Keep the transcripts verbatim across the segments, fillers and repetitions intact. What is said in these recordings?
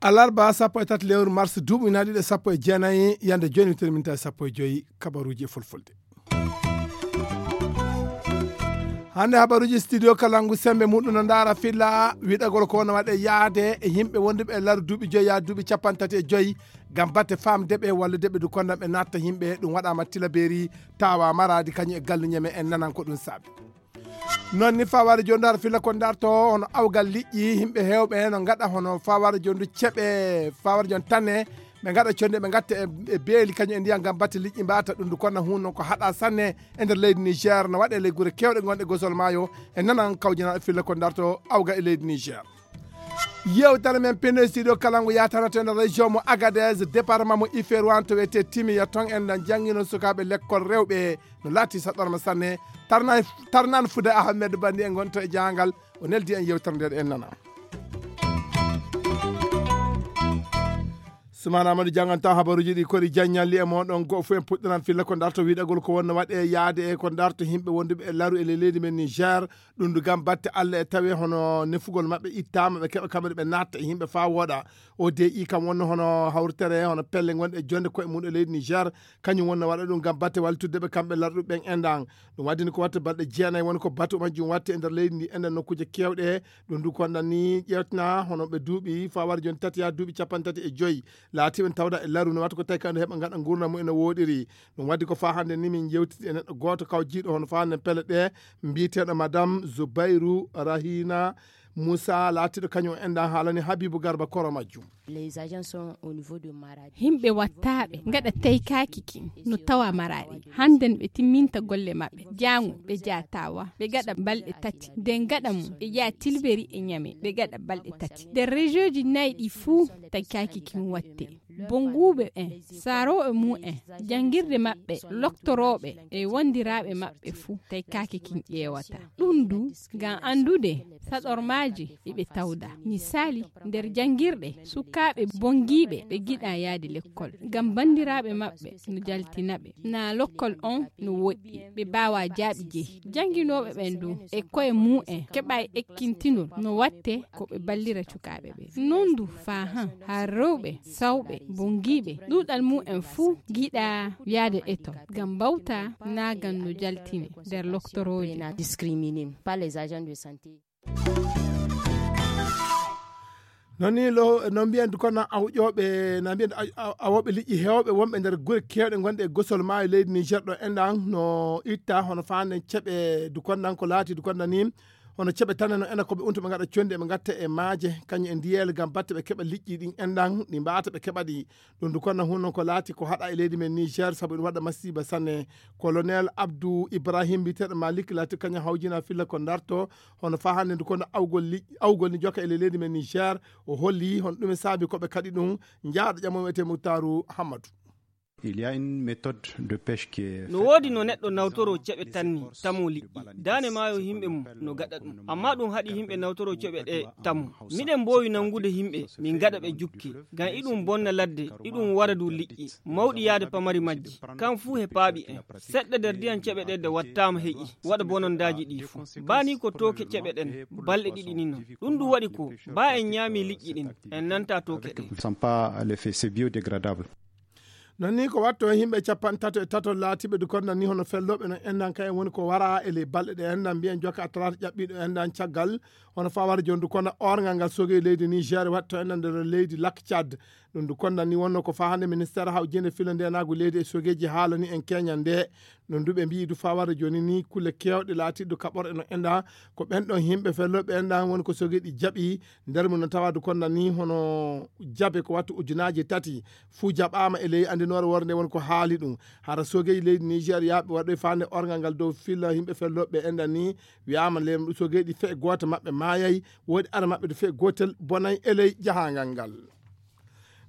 Alarba sappo e tati lewru mars duuɓi ujunaaji ɗiɗi e sappo e jeenayi, yande jooni witiri minti sappo e joyi, kabaruuji e fulfulde. Hannde habaruuji studio Kalangu sembe muɗum no ndaara filla wiɗagol ko wona waɗe yaade e yimɓe wonduɓe e laru duuɓi joyi yaa duuɓi capanɗe tati e joyi, ngam batte faamde ɓe walla deɓe du kondan ɓe natta yimɓe, ɗum waɗaama Tilaberi, tawa Maraadi kañum e Gallu Ñeme, en nanan ko ɗum saabi. Noon ni faware jooni dar filla ko darto hono awgal liƴƴi, yimɓe heewɓe no ngaɗa hono faware jooni ceɓe, faware jooni tanne, ɓe ngaɗa conde ɓe ngatta e, e beeli kañum e ndiyam ngam batte liƴƴi mbata ɗum du kono hun noon ko haɗa sanne e nder leydi Niger no waɗe ley gure kewɗe gonɗe gosol maayo. E nanan kawjanaɗo filla ko darto awgal e leydi Niger. Yewtere men pino e studio Kalangu yatanata e nder région mo Agadez, département mo Iférouane to wiyete Timiya. Ton en nan jangino sukaaɓe lekkol rewɓe no laati saɗɗorma sanne. Tarnan fude Ahmed Bandi en gonto e jangal, o neldi en yewtere nden en nana. Sumana Amadou janganta habaruuji ɗi kori jaññalli e moɗon. Goo fof en puɗɗanan filla ko darto wiɗagol ko wonno waɗe yaade e ko darto yimɓe wonduɓe e laru e ley leydi men Niger. Ɗum du gam batte Allah e tawe hono nefugol maɓɓe ittaama, ɓe keɓa kamɓe ɓe natta e yimɓe faa wooɗa. O D I kam wonno hono hawritere hono pelle gonɗe e jonde koye mum e leydi Niger. Kañum wonno waɗa ɗum gam batte wallitudde ɓe kamɓe larɗuɓe ɓen enɗan. Ɗum waddini ko watta balɗe jeenayi woni ko batu majjum watte e nder leydi ndi enɗan nokkuuje kewɗe. Ɗum du konɗan ni ƴewtana hono ɓe duuɓi faware jooni tati yaa duuɓi capanɗe tati e joyi laatiɓe tawda e laru no watta ko tawi kamɓe heɓa ngaɗa ngurdam mum ene woɗiri. Ɗum waddi ko faa hannde ni min jewtidi e neɗɗo gooto kaw jiiɗo hono faa hannde pelle ɗe mbiyeteeɗo madame Zoubairou Rahina Moussa laatiɗo kañum enɗan haalani Habibou Garba koro majjum. Yimɓe wattaaɓe ngaɗa taykaaki kin no tawa Maraadi. Hannden ɓe timminta golle maɓɓe. Jaango ɓe jaatawa ɓe gaɗa balɗe tati. Nde gaɗa mum ɓe ƴaa Tilberi e Ñame ɓe gaɗa balɗe tati. Nder rejooji nayi ɗi fuu taykaaki kin watte. Bonnguuɓe ɓen, saarooɓe mum en, janngirde maɓɓe, loktorooɓe e wondiraaɓe maɓɓe fuu, tawi kaake kin ƴeewata. Ɗum du, ngam anndude saɗormaaji ɗi ɓe tawda. Misaali, nder janngirɗe, sukaaɓe bonngiiɓe ɓe ngiɗaa yahde lekkol, ngam banndiraaɓe maɓɓe no jaltina ɓe, naa lokkol on no woɗɗi, ɓe mbaawaa jaaɓi jehi. Jannginooɓe ɓen du, e koye mum en, keɓaay ekkintinol no watte ko ɓe ballira cukaaɓe ɓen. Non du faa han, haa rewɓe, sawɓe, bonngiiɓe, ɗuuɗal mum en fuu ngiɗaa yahde etol, ngam mbawta naagan no jaltine nder loktorooje. Non ni lo, no mbiyen du kono awƴooɓe, na mbiyen a-, a-, awooɓe liƴƴi heewɓe wonɓe nder gure keewɗe gonɗe e gosol maayo leydi Niger ɗo enɗan no itta hono faanden ceɓe du kondan ko laati du kondan ni. Hono ceɓe tan no ena ko ɓe unto ɓe ngaɗa condi ɓe ngatta e maaje, kañum e ndiyel ngam batte ɓe keɓa liƴƴi ɗin enɗan ɗi mbaata ɓe keɓa ɗi. Ɗum du kondan hun non ko laati ko haɗa e leydi men Niger sabu ɗum waɗa masiiba sanne. Colonel Abdou Ibrahim mbiyeteeɗo Malik laati kañum hawjina filla ko darto hono faa hannde ndu kono awgol liƴƴi, awgol ni joka e ley leydi men Niger. O holli hono ɗum e saabi ko ɓe kaɗi ɗum. Njaaɗo ƴammo wiyetee Muktaaru Hammadu. Il y a une méthode de pêche qui est no woodi no neɗɗo nawtoro ceɓe tan ni tamo liƴƴi. Daane maayo yimɓe mum no gaɗa ɗum, amma ɗum haɗi yimɓe nawtoro ceɓe ɗe tamo. Miɗen mboowi nanngude yimɓe min ngaɗa ɓe jukke, ngam iɗum bonna ladde, iɗum wara du liƴƴi mawɗi yaade pamari majji. Kan fuu he paaɓi en seɗɗa nder ndiyan ceɓe ɗe de wattaama heƴi waɗa bonondaaji ɗi fuu. Baa ni ko tooke ceɓe ɗen balɗe ɗiɗi ni non. Ɗum ɗum waɗi ko baa en ñaami liƴƴi ɗin en nanta tooke ɗe. Sont pas les faits, c'est biodégradable. Non ni ko watto e yimɓe capanɗe tato e tato laatiɓe du kondan ni hono fellooɓe no endan kay woni ko wara e ley balɗe ɗe endan mbiyen joka talaata ƴaɓɓiiɗo endan caggal. Hono fawara jooni du kondan orngal ngal sogi leydi Niger watto endan nder leydi Lac Tchad. Ɗum du kondan ni wonno ko faa hannde ministeer hawjinde filo ndenaagu leydi e sogeeji haalani en keñan nde. Ɗum du ɓe mbiyi du fawara jooni ni kulle keewɗe laatiɗo kaɓorɗe no endan ko ɓen ɗon yimɓe fellooɓe endan woni ko sogeeɗi jaɓi. Nder mum no tawa du kondan ni hono jabe ko wattu ujunaaji tati fuu jaɓaama e ley anndinoore worde woni ko haali ɗum. Hara sogeeji leydi Niger yaaɓe waɗoy faande orngal ngal dow filla yimɓe fellooɓe endan ni wiyaama lem sogeeɗi fe gooto maɓɓe maayay, woodi ara maɓɓe du fe gootel bonay e ley jahaangal ngal.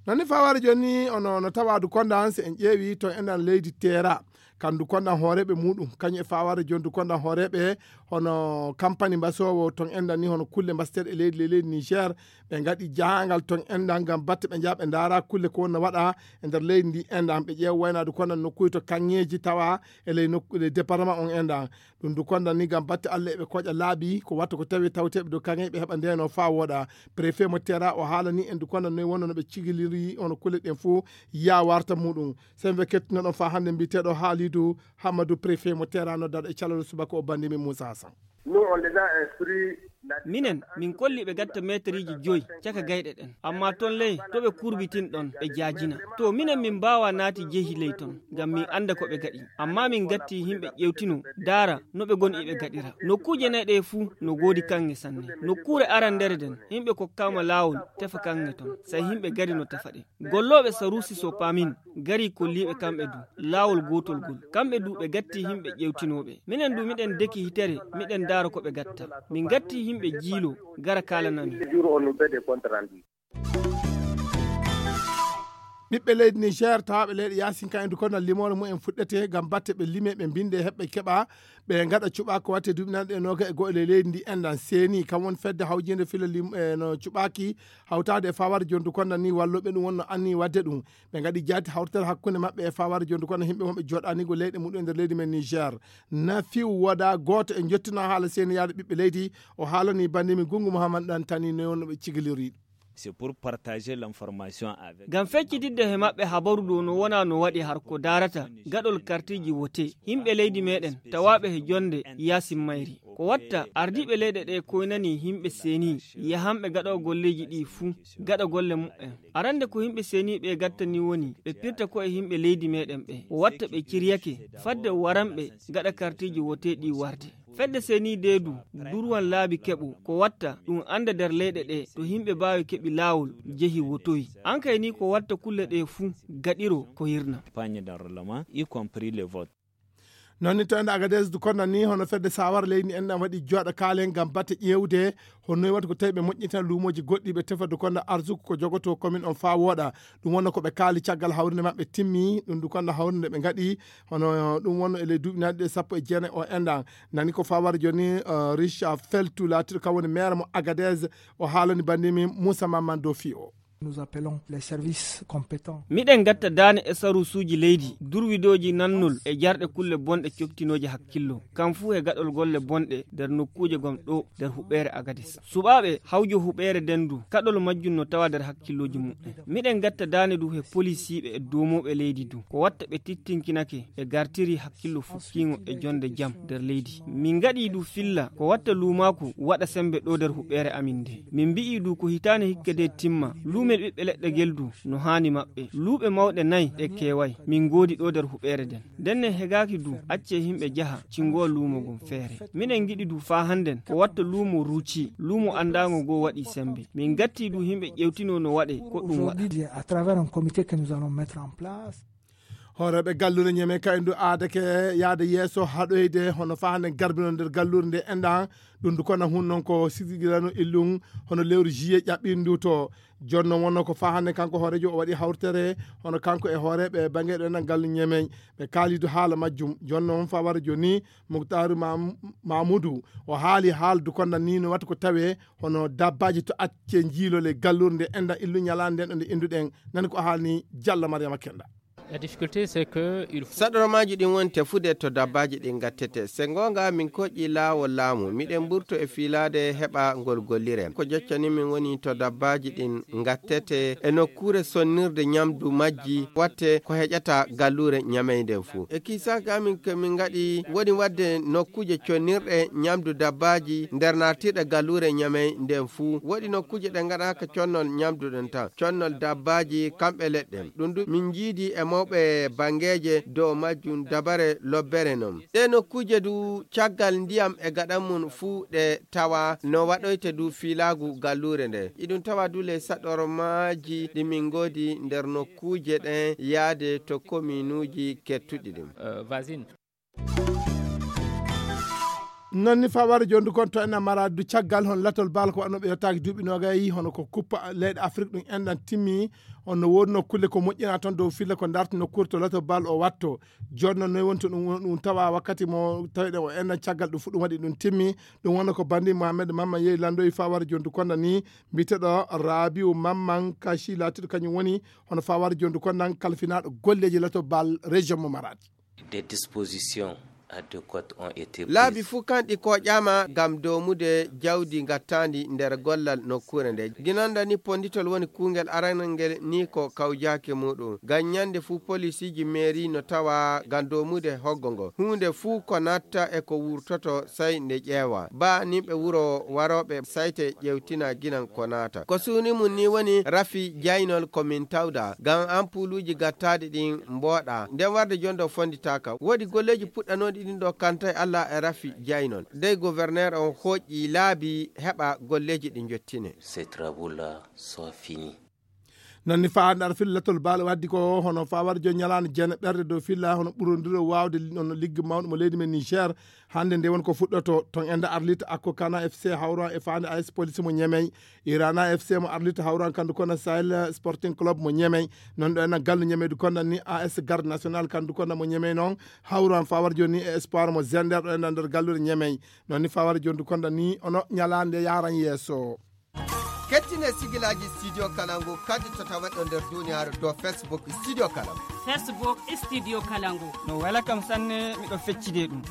Non ni faware jooni ono no tawa du kondan si en ƴeewi to endan leydi Teera. Kandu kondan hooreeɓe muɗum, kañum e fawaade jondu kondan hooreeɓe hono kampani mbasoowo ton enɗan ni, hono kulle mbaseteeɗe e leydi, le leydi Niger, ɓe ngaɗi jahangal ton enɗan ngam batte ɓe njaha ɓe ndaara kulle ko wonno waɗa e nder leydi ndi enɗan, ɓe ƴeewa waynaade kondan nokkuuji to kaŋŋeeji tawa e ley nokku, ley département on enɗan. Ɗum du kondan ni ngam batte Allah eɓe koƴa laaɓi ko watta ko tawi tawteeɓe dow kaŋŋeeji ɓe heɓa ndeno faa wooɗa. Préfet mo Tera o haalani en du kondan noy wonno no ɓe cigiliri hono kulle ɗen fof yaa warta muɗum. Sembe kettunoɗon faa hannde mbiyeteeɗo Haalidou Hammadou, préfet mo Tera, noddaɗo e calal subaka o, bannde min Moussa Hassan. Nous, on les a instruits. Minen, min kolli ɓe gatta meeteriiji joyi caka gayɗe ɗen. Amma ton ley, to ɓe kurbitin ɗon, ɓe jaajina. To minen, min mbaawa naati jehi ley ton, ngam min annda ko ɓe gaɗi. Amma min gatti yimɓe ƴewtino, daara no ɓe ngoni iɓe gaɗira. Nokkuuje nay ɗe fuu no goodi kaŋŋe sanne. Nokkuure arandere nden, yimɓe kokkaama laawol tefa kaŋŋe ton. Sey yimɓe gari no tefa ɗe. Gollooɓe Sarusi Sopamin gari kolliiɓe kamɓe du laawol gootol gol. Kamɓe du ɓe gatti yimɓe ƴewtinooɓe. Minen du miɗen deki hitere, miɗen daara ko ɓe gatta. Min gatti yimɓe jiilo gara kaalanamin. Ɓiɓɓe leydi Niger tawaaɓe leyɗe yaasin kan e du konal limoore mumen fuɗɗete ngam batte ɓe lime, ɓe mbinde, heɓɓe keɓa, ɓe ngaɗa cuɓa ko watte duuɓi nanɗe e noga e go'o e leydi ndi enɗan seeni. Kam woni fedde hawjinde fila lim-, e no cuɓaaki hawtaade e fawaade jondu konda ni walluɓe ɗum wonno anni wadde ɗum. Ɓe ngaɗi jaati hawrital hakkunde maɓɓe e fawaade jondu konda yimɓe wonɓe jooɗaani ko leyɗe muɗum e nder leydi men Niger. Na fiw woda gooto e jottina haala seeni yaade ɓiɓɓe leydi. O haalani bannde mi Gungu Muhammad Dantani no wonno ɓe cigiliri. C'est pour partager l'information avec. Ngam feccitidde he maɓɓe habaru dow no wona no waɗi har ko daarata gaɗol kartiji wote yimɓe leydi meɗen tawaaɓe he jonde yaasin mayri. Ko watta ardiiɓe leyɗe ɗe koynani yimɓe seeni yahanɓe gaɗo golleji ɗi fuu gaɗa golle muɓɓen. Arande ko yimɓe seeni ɓe gattani woni ɓe pirta ko e yimɓe leydi meɗen ɓe. O watta ɓe ciryake fadde waranɓe gaɗa kartiji wote ɗi warde. Fedde seeni de du durwan laabi keɓo ko watta ɗum anda nder leyɗe ɗe to yimɓe baawi keɓi laawol jehi wotoyi. An kay ni ko watta kulle ɗe fuu gaɗiro ko hirna. Campagne d'enrôlement, y compris les votes. Noon ni to ende Agadez du konnan ni hono fedde sawara leydi en ɗan waɗi jooɗa kaalen ngam batte ƴeewde hono noy waɗi ko tawi ɓe moƴƴintina luumooji goɗɗi ɓe tefa du konda arsuku ko jogoto commune on faa wooɗa. Ɗum wonno ko ɓe kaali caggal hawrinde maɓɓe timmi ɗum du konda hawrinde ɓe ngaɗi hono ɗum wonno e ley duuɓi nanɗi ɗe sappo e jeenayi o enɗan. Nani ko faa wara jooni, eh, Richard Feltu laatiɗo kam woni maire mo Agadez, o haalani bandimi Moussa Mamman Dofi o. Nous appelons les services compétents. Miɗen gatta daane e sarusuuji leydi durwidooji nannol e jarɗe kulle bonɗe coktinooje hakkillo kam fuu he gaɗol golle bonɗe nder nokkuuje gom ɗo nder huɓeere Agadis. Suɓaaɓe hawjo huɓeere nden du kaɗol majjum no tawa nder hakkillooji muɓɓen. Miɗen gatta daane du he polisiiɓe e duumooɓe leydi du ko watta ɓe tittinkinake ɓe gartiri hakkillo fukkiingo e jonde jam nder leydi. Min ngaɗii du filla ko watta luumaaku waɗa sembe ɗo nder huɓeere amin nde. Min mbi'ii du ko hitaande hikka de timma luumel ɓiɓɓe leɗɗe ngel du no haani maɓɓe. Luuɓe mawɗe nay ɗe keeway min ngoodi ɗo nder huɓeere nden. Ndenne hegaaki du accee yimɓe jaha cinngoo luumo ngon feere. Miɗen ngiɗi du faa hannden ko watta luumo ruuci luumo anndaango ngoo waɗii sembe. Min ngattii du yimɓe ƴewtinoo no waɗee ko ɗum waɗa. Aujourd'hui, à travers un comité que nous allons mettre en place. Hooreeɓe galluure Ñeme kay ndu aadake yaade yeeso haɗoyde hono faa hannde garbino nder galluure nde enɗan ɗum ndu kona hun noon ko sisigirano illum hono lewru juillet ƴaɓɓiindu to. Jooni noon wonno ko faa hannde kanko hooreejo o waɗi hawtere hono kanko e hooreeɓe bannge ɗo enɗan gallu Ñeme ɓe kaalidu haala majjum. Jooni noon faa wara jooni Muktaaru Mam-, Mamudu o haali haaldu konda ni no watta ko tawe hono dabbaaji to acce njiilole galluure nde enɗan illu ñalaande nden ɗo nde innduɗen. Nani ko haalni Jalla Mariama Kenda. La difficulté, c'est que il faut. Saɗormaaji ɗin woni tefude to dabbaaji ɗin ngattete. Se ngoonga, min koƴƴi laawol laamu. Miɗen mburto e fiilaade heɓa ngol gollire. Ko joccani min woni to dabbaaji ɗin ngattete e nokkuure sonnirde ñamdu majji, watte ko heƴata galluure Ñamey nden fuu. E kiisaaka amin ko min ngaɗi woni waɗde nokkuuje connirɗe ñamdu dabbaaji nder nartirɗe galluure Ñamey nden fuu. Woɗi nokkuuje ɗe ngaɗaaka connol ñamdu ɗen tan, connol dabbaaji kamɓe leɗɗe. Ɗum du min njiidi e mawɓe banngeeje dow majjum dabare lobbere non. Ɗee nokkuuje du caggal ndiyam e gaɗa mum fuu ɗe tawa no waɗoyte du fiilaagu galluure nde. Iɗum tawa du ley saɗormaaji ɗi min ngoodi nder nokkuuje ɗen yaade to kominuuji kettuɗi ɗin. Euh, voisine. Non ni faware jondu kon to en amara du caggal hon latol bal ko annoɓe yottaaki duuɓi nogayi hono ko kuppa leyɗe Afrik ɗum enɗan timmi. Honno wonno kulle ko moƴƴina toon dow filla ko darti nokkuure to lato bal o watto. Jooni noon noy wonto ɗum ɗum tawa wakkati mo tawiɗen o enɗan caggal ɗum fuɗɗum waɗi ɗum timmi. Ɗum wonno ko bandi Mohamed Mamma yehi landoyi fawar jondu konda ni mbiteɗo Rabiu Mamman Kashi laatiɗo kañum woni hono fawar jondu kondan kalfinaɗo golleji lato bal région mo Maradi. Des dispositions adéquates ont été prises. Laabi fuu kanɗi koƴaama ngam doomude jawdi ngattaandi nder gollal nokkuure nde. Ginanda ni ponditol woni kuungel aranal ngel ni ko kawjaake muuɗum. Ngam ñande fuu polisiiji meeri no tawa ngam doomude hoggo ngo. Huunde fuu ko natta e ko wurtoto sey nde ƴeewa. Ba nimɓe wuro warooɓe sayte ƴeewtina ginan ko naata. Ko suuni mum ni woni rafi jaynol ko min tawda ngam ampuuluuji gattaaɗi ɗin mbooɗa. Nden warde jondo fonditaaka. Woodi golleeji puɗɗanooɗi ɗin ɗo kanta e Allah e rafi jaynol. Dey gouverneur on hoƴƴi laabi heɓa golleeji ɗi njottine. Ces travaux-là sont finis. Non ni faa ndar fil latol baal waddi ko hono faa war jo ñalaande jene ɓerde dow filla hono ɓurondiro waawde hono ligge mawɗo mo leydi men Niger. Hannde nde won ko fuɗɗoto ton enda Arlit Akko Kana F C hawra e faande A S Police mo Ñemey, Irana F C mo Arlit hawran kandu kono Sahel Sporting Club mo Ñemey. Non ɗo ena gallu Ñemey du konda ni A S Garde National kandu kono mo Ñemey non hawran faa war joni e Espoir mo Zender ɗo ena nder gallude Ñemey. Non ni faa war joni du konda ni ono ñalaande yaran yeeso. Kettine sigilaaji Studio Kalangu kadi to taweɗo nder duniyaaru dow Facebook Studio Kalangu. Facebook Studio Kalangu. No wela kam sanne, miɗo feccide ɗum.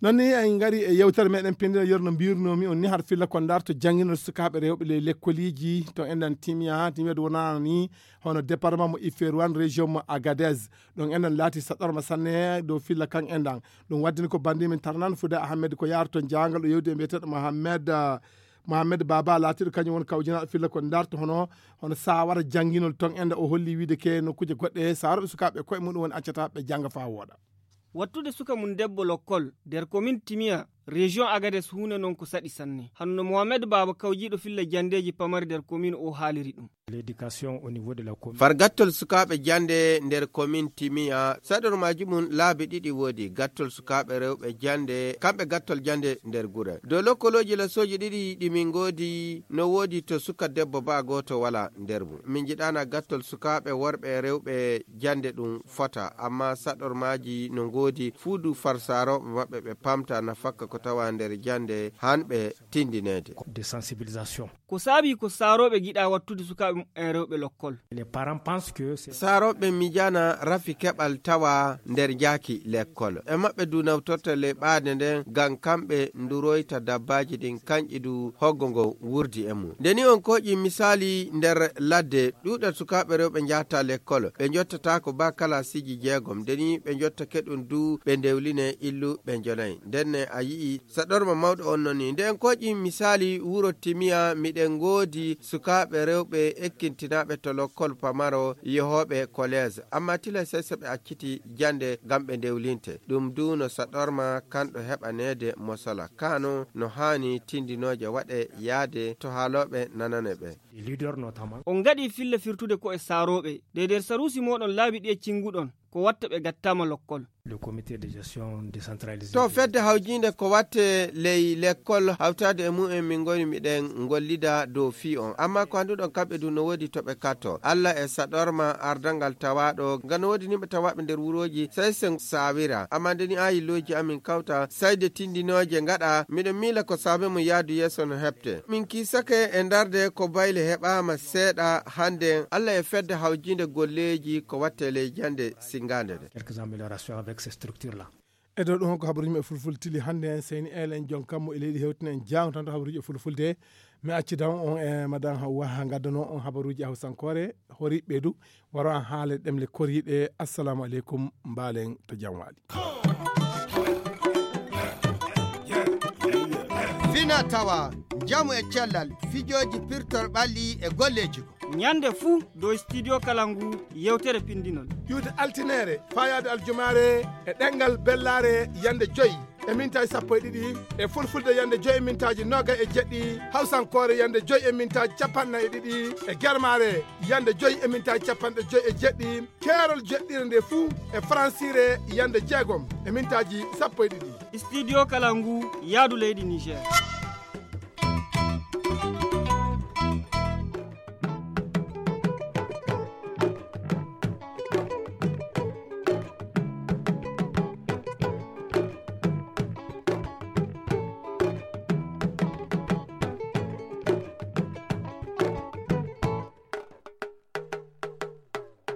Non ni en ngari e yewtere meɗen pindira yor no mbirnomi on ni har filla ko darto jannginol sukaaɓe rewɓe ley lekkoliji to enɗan timiya timiya ɗo wonano ni hono département mo Iferouane région mo Agadez. Ɗon enɗan laati saɗɗorma sanne dow filla kan enɗan. Ɗum waddini ko bandi min tarnan fude Ahmed ko yaaro ton jaangal o yewdi e mbiyeteɗo Mohammed, ah, Mohammed Baba laatiɗo kañum won kawjinaɗo filla ko darto hono, hono sawara jannginol ton enɗan o holli wiide ke nokkuje goɗɗe sawara ɓe sukaaɓe koye muɗum woni accata ɓe jannga faa wooɗa. Wattude suka mum debbo lokkol nder komin Timiya, région Agadez huunde noon ko saɗi sanne. Hano no Mohamed Baaba kawjiiɗo filla janndeeji pamari nder komin o haaliri ɗum. L'éducation au niveau de la commune. Far gattol sukaaɓe jannde nder komin Timiya, saɗormaaji mum laabi ɗiɗi woodi, gattol sukaaɓe rewɓe jannde, kamɓe gattol jannde nder gure. Dow lokkolooji lasooji ɗiɗi ɗi min ngoodi, no woodi to suka debbo baa gooto walaa nder mum. Min njiɗaana gattol sukaaɓe worɓe e rewɓe jannde ɗum fota, amma saɗormaaji no ngoodi fuu du far saarooɓe maɓɓe ɓe pamta nafakka ko tawa nder jannde han ɓe tindineede. De sensibilisation. Ko saabi ko saarooɓe ngiɗa wattude sukaaɓe muɓɓen rewɓe lokkol. Les parents pensent que c'est saarooɓe miijaana rafi keɓal tawa nder jaaki lekkol. E maɓɓe du nawtorta ley ɓaade nden ngam kamɓe nduroyta dabbaaji ɗin kanƴi du hoggo ngo wurdi e mum. Nde ni on kooƴi misaali nder ladde, ɗuuɗal sukaaɓe rewɓe njahata lekkol, ɓe njottataako baa kalaasiiji jeegom. Nde ni ɓe njottake ɗum du ɓe ndewline illu ɓe njonay. Ndenne a yi'i saɗorma mawɗo on non ni. Nde en kooƴi misaali wuro Timiya, miɗen ngoodi sukaaɓe rewɓe ekkintinaaɓe to lokkol pamaro yehooɓe kolees. Amma tila sey so ɓe acciti jannde ngam ɓe ndewlinte. Ɗum du no saɗorma kanɗo heɓaneede mosala. Kano no haani tindinooje waɗe yaade to haalooɓe nanane ɓe. Des leaders notamment. On ngaɗi filla firtude ko e saarooɓe. De nder saruusi mooɗon laabi ɗi e cinnguɗon, ko watta ɓe gattaama lokkol. Le comité de gestion décentralisé. To fedde hawjiinde ko watte ley lekkol hawtaade e mumen min ngoni miɗen ngollida dow fii on. Amma ko annduɗon kamɓe du no woodi to ɓe katto. Allah e saɗorma ardangal tawaaɗo, nga no woodi nimɓe tawaaɓe nder wurooji, sey sen saawira. Amma nde ni aayilooji amin kawta, sayde tindinooje ngaɗa, miɗo miila ko saabe mum yaadu yeeso no heɓte. Min kiisake e ndarde ko bayle heɓaama seeɗa hannde, Allah e fedde hawjiinde golleeji ko watte ley jannde singaande nde. Quelques améliorations avec ces structures-là. E dow ɗum ko habaruuji men fulfulde tili hannde en seyni elen jon kammo e leydi hewtinen jaango tan to habaruuji e fulfulde. Mi acci daw on e madan Hawwa ha ngaddanoo on habaruuji e hawsankoore, hori ɓeydu, waro an haala ɗemle koriiɗe. Assalamu aleykum, mbaalen to jam waali. Fina tawa, njamu e cellal, fijooji pirtol ɓalli e golleeji. Ñande fuu dow Studio Kalangu yewtere pindinol. Iwde altineere, faayaade aljumaare e ɗemngal bellaare yande joyi. e mintaaji sappo e ɗiɗi, e fulfulde yande joyi e mintaaji noga e jeɗɗi, hawsankoore yande joyi e mintaaji capanɗe nayi e ɗiɗi, e germaare yande joyi e mintaaji capanɗe joyi e jeɗɗi, keerol jeɗɗire nde fuu e faransire yande jeegom e mintaaji sappo e ɗiɗi. Studio Kalangu, yaadu leydi Niger.